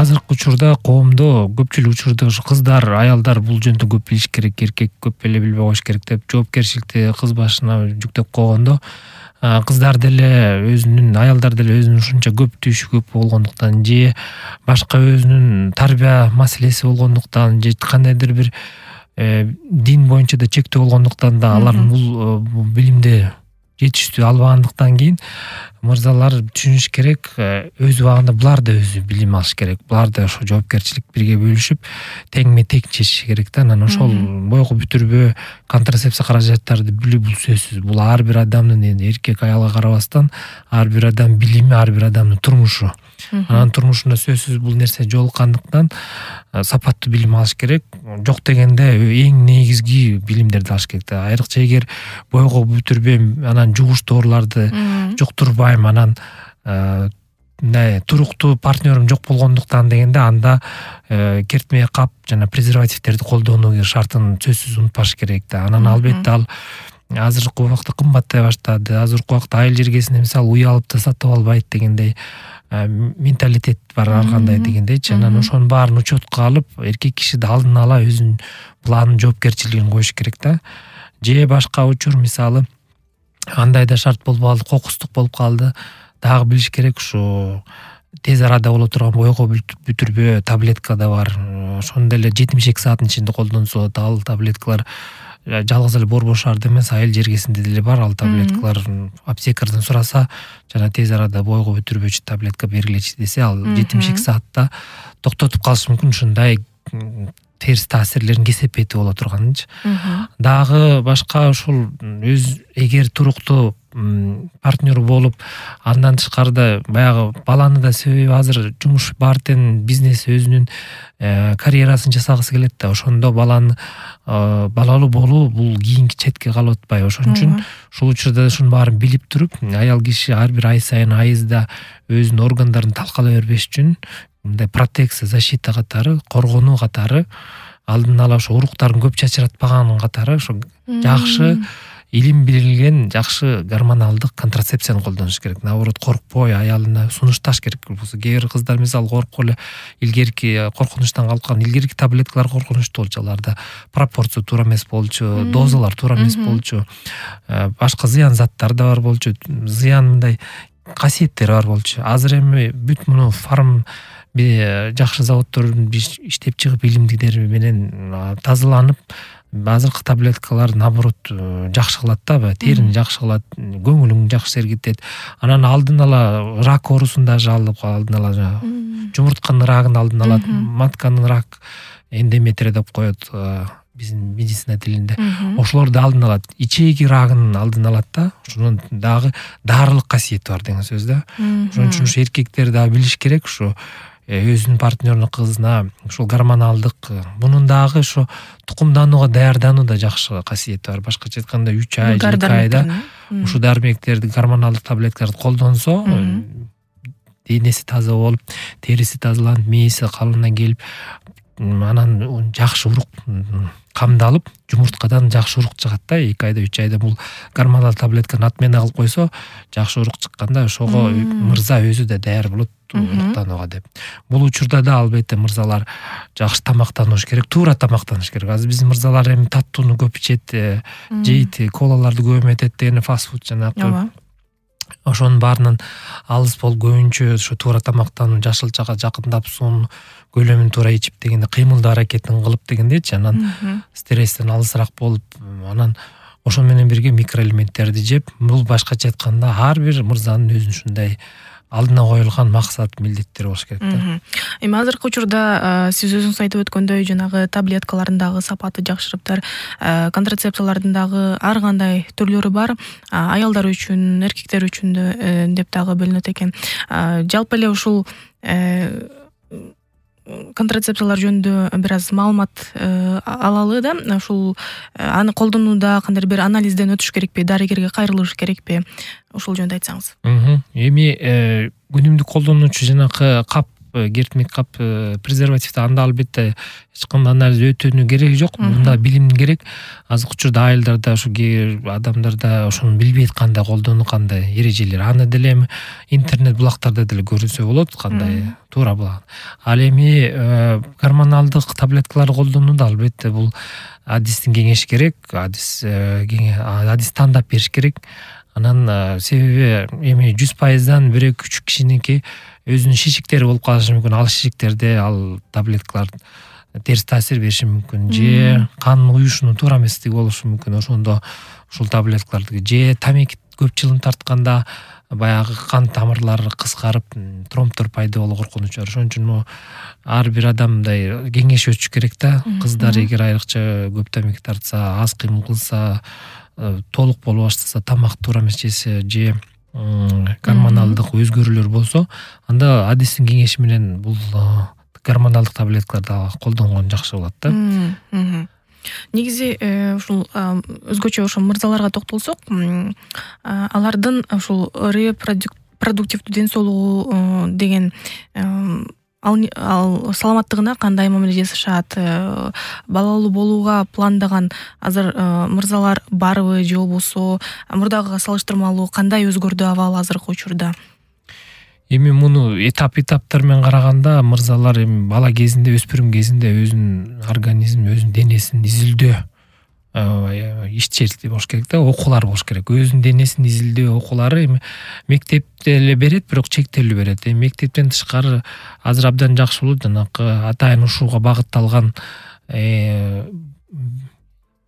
азыркы учурда коомдо көпчүлүк учурда ушу кыздар, аялдар бул жөнүндө көп билиш керек, эркек көп эле билбей коюш керек деп жоопкерчиликти кыз башына жүктөп койгондо, кыздар деле өзүнүн, аялдар деле өзүнүн ушунча көп түйүшү көп болгондуктан же башка өзүнүн тарбия маселеси болгондуктан же кандайдыр бир дин боюнча да чектөө болгондуктан да алар бул билимди жетиштүү албагандыктан кийин мырзалар түшүнүш керек, өз убагында булар да өзү билим алыш керек. Булар да ошо жоопкерчилик бирге бөлүшүп, теңме тең чечиши керек да. Анан ошол бойго бүтүрбөө контрацепция каражаттарды билүү бул сөзсүз. Бул ар бир адамдын, эми эркек аялга карабастан, ар бир адам билими, ар бир адамдын турмушу. Анан турмушунда сөзсүз бул нерсе жолуккандыктан сапаттуу билим алыш керек. Жок дегенде эң негизги билимдерди алыш керек да. Айрыкча эгер бойго бүтүрбөйм, анан жугуш дооруларды жуктурбайм, анан туруктуу партнерим жок болгондуктан дегенде анда кертмей кап жана презервативтерди колдонуу шартын сөзсүз унутпаш керек да. Анан албетте ал азыркы убакта кымбаттай баштады. Азыркы убакта айыл жергесинде мисалы уй алып да сатып албайт дегендей менталитет бар ар кандай дегендейчи. Анан ошонун баарын учетко алып, эркек киши да алдын ала өзүнүн планын, жоопкерчилигин коюш керек да. Же башка учур мисалы андай да шарт болуп калды, кокустук болуп калды. Дагы билиш керек, ушу тез арада боло турган бойго бүтүрбөө таблетка да бар. Ошону деле 72 сааттын ичинде колдонсо, ал таблеткалар жалгыз эле борбор шаарда эмес, айыл жергесинде деле бар ал таблеткалар. Аптекардан сураса, жана тез арада бойго бүтүрбөөчү таблетка бергилечи десе, ал 72 саатта токтотуп калышы мүмкүн ушундай терс таасирлерин кесепети боло турганынчы. Дагы башка ушул эгер туруктуу партнер болуп, андан тышкарыда баягы баланы да себеби азыр жумуш бар тең, бизнес өзүнүн карьерасын жасагысы келет да. Ошондо балалуу болуу бул кийинки четке калып атпайбы. Ошон үчүн ушул учурда ушунун баарын билип туруп, аял киши ар бир ай сайын айызда өзүнүн органдарын талкалай бербеш үчүн мындай протекция, защита катары, коргонуу катары, алдын ала ошо уруктарын көп чачыратпаган катары ошо жакшы илим берилген жакшы гормоналдык контрацепцияны колдонуш керек. Наоборот, коркпой аялына сунушташ керек. Кээ бир кыздар мисалы коркуп эле илгерки коркунучтан калып калган, илгерки таблеткалар коркунучтуу болчу, аларда пропорция туура эмес болчу, дозалар туура эмес болчу, башка зыян заттар да бар болчу, зыян мындай касиеттери бар болчу. Азыр эми бүт муну жакшы заводдордун иштеп чыгып илимдилери менен тазаланып, азыркы таблеткалар наоборот жакшы кылат да, терини жакшы кылат, көңүлүң жакшы сергитет. Анан алдын ала рак оорусун да алып, алдын ала жумуртканын рагын алдын алат, матканын рак, эндометрия деп коет биздин медицина тилинде. Ошолорду алдын алат, ичеги рагынын алдын алат да. Ошонун дагы дарылык касиети бар деген сөз да. Ошон үчүн ушу эркектер да билиш керек, ушу өзүнүн партнеринин кызына ушул гормоналдык, мунун дагы ошо тукумданууга даярдануу да жакшы касиети бар. Башкача айтканда 3 ай, 2 айда ушу дармектерди, гормоналдык таблеткаларды колдонсо, денеси таза болуп, териси тазаланып, мээси калыбына келип, анан жакшы урук камдалып, жумурткадан жакшы урук чыгат да. 2 айда, 3 айда бул гормоналдык таблетканы отмена кылып койсо, жакшы урук чыкканда ошого мырза өзү да даяр болот уруктанууга деп. Бул учурда да албетте мырзалар жакшы тамактаныш керек, туура тамактаныш керек. Азыр биздин мырзалар эми таттууну көп ичет, жейт, колаларды көп эметет деген фастфуд жанагы. Ошонун баарынан алыс бол, көбүнчө ошо туура тамактануу, жашылчага жакындап, суунун көлөмүн туура ичип дегенде, кыймылдуу аракетин кылып дегендейчи, анан стресстен алысыраак болуп, анан ошон менен бирге микроэлементтерди жеп, бул башкача айтканда ар бир мырзанын өзүнүн ушундай алдына коюлган максат, милдеттери болуш керек да. Эми азыркы учурда сиз өзүңүз айтып өткөндөй, жанагы таблеткалардын дагы сапаты жакшырыптыр, контрацепциялардын дагы ар кандай түрлөрү бар, аялдар үчүн, эркектер үчүн деп дагы бөлүнөт экен. Жалпы эле ушул контрацепциялар жөнүндө бир аз маалымат алалы да. Ушул аны колдонууда кандай бир анализден өтүш керекпи, дарыгерге кайрылыш керекпи? Ушул жөнүндө айтсаңыз. Эми күнүмдүк колдонуучу жанакы кап кертмек кап, презервативди анда албетте эч кандай анализ өтүүнүн кереги жок. Мында билим керек. Азыркы учурда айылдарда ушу адамдарда ошону билбейт кандай колдонуу, кандай эрежелер. Аны деле интернет булактарда деле көрүнсө болот, кандай туура булак. Ал эми гормоналдык таблеткаларды колдонууда албетте бул адистин кеңеши керек. Адис тандап бериш керек. Анан себеби эми 100%дан 1-2-3 кишиники өзүнүн шишиктери болуп калышы мүмкүн. Ал шишиктерде ал таблеткалар терс таасир бериши мүмкүн. Же кан уюшунун туура эместиги болушу мүмкүн. Ошондо ушул таблеткаларды же тамеки көп жылын тартканда баягы кан тамырлары кыскарып, тромбдор пайда болуу коркунучу бар. Ошон үчүн ар бир адамдай кеңеш өтүш керек да. Кыздар эгер айрыкча көп тамеки тартса, аз кыймыл кылса, толук боло баштаса, тамак туура эмес жесе, же гормоналдык өзгөрүүлөр болсо, анда адистин кеңеши менен бул гормоналдык таблеткаларды колдонгон жакшы болот да. Негизи ушул өзгөчө ошо мырзаларга токтолсок, алардын ушул репродуктивдүү ден соолугу деген ал саламаттыгына кандай мамиле жасашат, балалуу болууга пландаган азыр мырзалар барбы же болбосо мурдагыга салыштырмалуу кандай өзгөрдү абал азыркы учурда? Эми муну этап-этаптар менен караганда мырзалар эми бала кезинде, өспүрүм кезинде өзүнүн организмин, өзүнүн денесин изилдөө ишчилик болуш керек да, окуулар болуш керек. Өзүнүн денесин изилдөө окуулары эми мектепте эле берет, бирок чектелүү берет. Эми мектептен тышкары азыр абдан жакшы болот, жанакы атайын ушуга багытталган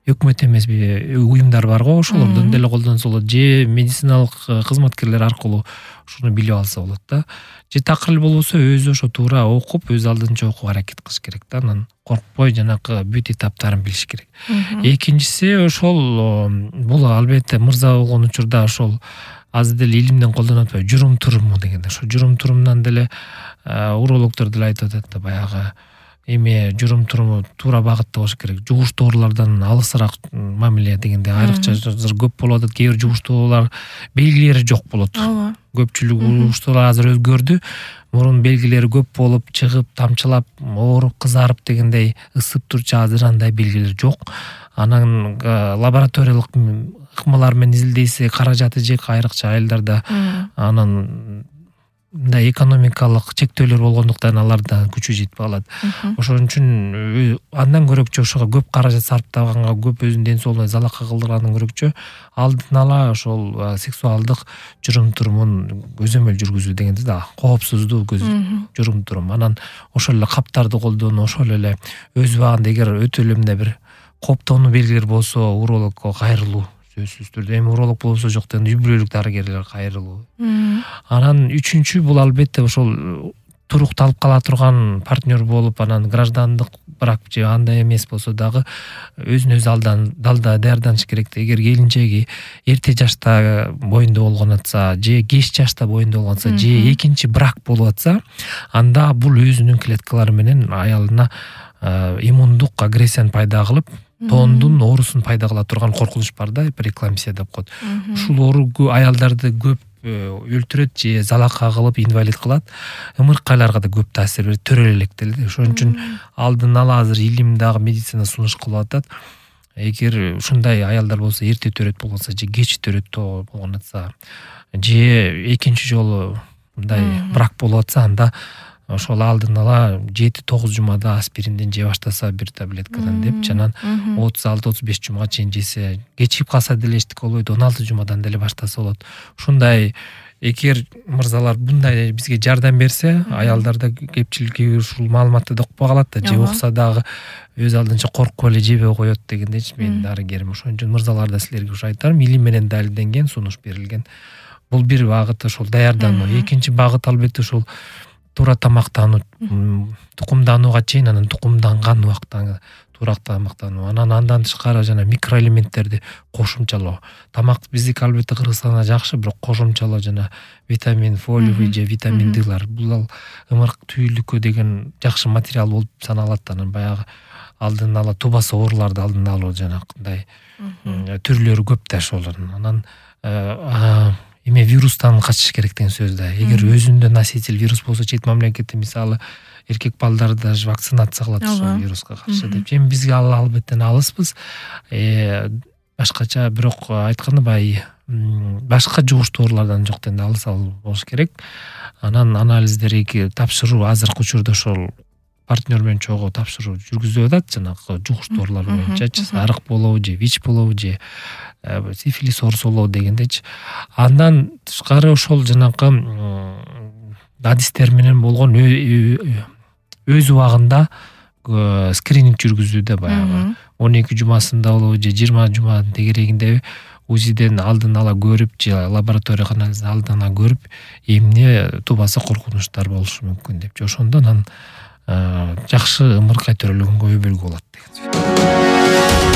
өкмөт эмес уюмдар бар го, ошолордон деле колдонсо болот, же медициналык кызматкерлер аркылуу ушуну билип алса болот да. Же такыр эле болбосо өзү ошо туура окуп, өз алдынча окууга аракет кылыш керек да. Анан коркпой жанакы бүт этаптарын билиш керек. Экинчиси ошол бул албетте мырза болгон учурда ошол аз деле илимден колдонуп атпайбы, журум-туруму дегенде. Ошо журум-турумдан деле урологдор деле айтып атат да, баягы эми журум-туруму туура багытта болуш керек. Жугуштуу оорулардан алысыраак мамиле дегенде айрыкча көп болуп атат. Кээ бир жугуштуу оорулар белгилери жок болот. Көпчүлүк жугуштуулар азыр өзгөрдү. Мурун белгилери көп болуп, чыгып, тамчылап, ооруп, кызарып дегендей ысып турчу, азыр андай белгилер жок. Анан лабораториялык ыкмалар менен изилдейсе, каражаты жек айрыкча айылдарда. Анан мындай экономикалык чектөөлөр болгондуктан аларда күчү жетпей калат. Ошон үчүн андан көрөкчө ошого көп каражат сарптаганга, көп өзүнүн ден соолугуна залака кылдыргандан көрөкчө алдын ала ошол сексуалдык журум-турумун көзөмөл жүргүзүү дегенде да, коопсуздуу журум-турум. Анан ошол эле каптарды колдонуу, ошол эле өз убагында эгер өтө эле мындай бир коптонуу белгилер болсо, урологко кайрылуу сөзсүз түрдө. Эми уролог болбосо жок дегенде үй бүлөлүк дарыгерлерге кайрылуу. Анан үчүнчү бул албетте ошол турукталып кала турган партнер болуп, анан граждандык брак же андай эмес болсо дагы өзүн өзү далда даярданыш керек. Эгер келинчеги эрте жашта боюнда болгон атса, же кеч жашта боюнда болгон атса, же экинчи брак болуп атса, анда бул өзүнүн клеткалары менен аялына иммундук агрессияны пайда кылып, тоондун оорусун пайда кыла турган коркунуч бар да, преэклампсия деп коет. Ушул оору аялдарды көп өлтүрөт же залака кылып инвалид кылат. Ымыркайларга да көп таасир берет, төрөлөктелди. Ошон үчүн алдын ала азыр илим дагы медицина сунуш кылып атат. Эгер ушундай аялдар болсо, эрте төрөт болгонса же кеч төрөт болгон атса, же экинчи жолу мындай брак болуп атса, анда ошол алдын ала 7-9 жумада аспиринден же баштаса, бир таблеткадан деп, анан 36-35 жумага чейин жесе, кечип калса деле эчтеке болбойт, 16 жумадан деле баштаса болот. Ушундай эгер мырзалар мындай бизге жардам берсе, аялдарда кепчилиги ушул маалыматты да укпай калат да, же укса дагы өз алдынча коркуп эле жебей коет дегендейчи мен дарыгерим. Ошон үчүн мырзалар да силерге ушу айтарым, илим менен далилденген, сунуш берилген. Бул бир багыт ошол даярдануу. Экинчи багыт албетте ушул туура тамактануу, тукумданууга чейин, анан тукумданган убакта туура тамактануу. Анан андан тышкары жана микроэлементтерди кошумчалоо. Тамак биздики албетте Кыргызстанда жакшы, бирок кошумчалоо жана витамин фолиевый же витамин Д'лар, бул ымырк түйүлүккө деген жакшы материал болуп саналат. Анан баягы алдын ала тубаса ооруларды алдын алуу жанакындай түрлөрү көп да ошолордун. Анан эме вирустан качыш керек деген сөз да. Эгер өзүндө носитель вирус болсо, чет мамлекетте мисалы эркек балдарды даже вакцинация кылат ошол вируска каршы деп. Эми бизге ал албеттен алыспыз. Башкача бирок айтканда баягы башка жугуштуу оорулардан жок дегенде алыс болуш керек. Анан анализдерди тапшыруу азыркы учурда ошол партнер менен чогуу тапшыруу жүргүзүлүп атат, жанагы жугуштуу оорулар боюнча, арык болобу же ВИЧ болобу же сифилис оорусу болобу дегендечи. Андан тышкары ошол жанагы адистер менен болгон өз убагында скрининг жүргүзүүдө баягы 12 жумасында болобу же 20 жуманын тегерегинде УЗИден алдын ала көрүп же лаборатория анализден алдын ала көрүп, эмне тубаса коркунучтар болушу мүмкүн деп. Ошондон анан жакшы ымыркай төрөлгөнгө өбөлгө болот деген сөз.